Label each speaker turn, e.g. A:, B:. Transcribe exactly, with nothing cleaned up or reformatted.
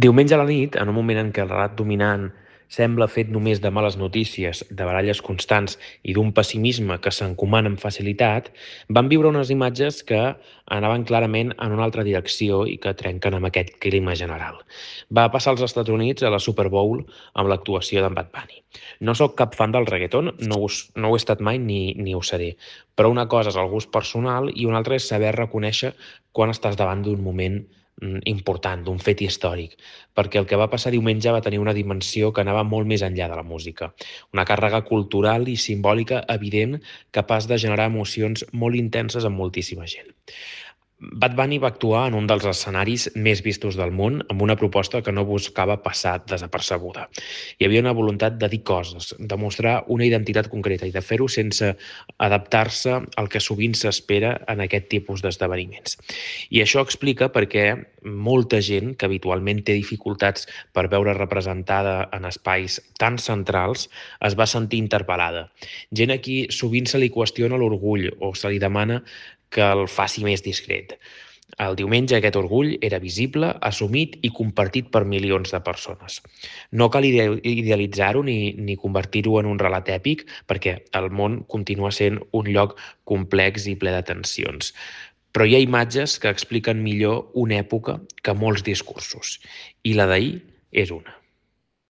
A: Diumenge a la nit, en un moment en què el relat dominant sembla fet només de males notícies, de baralles constants i d'un pessimisme que s'encomana amb facilitat, van viure unes imatges que anaven clarament en una altra direcció i que trenquen amb aquest clima general. Va passar als Estats Units a la Super Bowl amb l'actuació d'en Bad Bunny. No sóc cap fan del reggaeton, no ho, no ho he estat mai ni, ni ho seré, però una cosa és el gust personal i una altra és saber reconèixer quan estàs davant d'un moment mm, important, d'un fet històric, perquè el que va passar diumenge va tenir una dimensió que anava molt més enllà de la música, una càrrega cultural i simbòlica evident capaç de generar emocions molt intenses en moltíssima gent. Bad Bunny va actuar en un dels escenaris més vistos del món amb una proposta que no buscava passar desapercebuda. Hi havia una voluntat de dir coses, de mostrar una identitat concreta i de fer-ho sense adaptar-se al que sovint s'espera en aquest tipus d'esdeveniments. I això explica perquè molta gent que habitualment té dificultats per veure representada en espais tan centrals es va sentir interpel·lada. Gent a qui sovint se li qüestiona l'orgull o se li demana que el faci més discret. El diumenge aquest orgull era visible, assumit i compartit per milions de persones. No cal idealitzar-ho ni, ni convertir-ho en un relat èpic, perquè el món continua sent un lloc complex i ple de tensions. Però hi ha imatges que expliquen millor una època que molts discursos, i la d'ahir és una.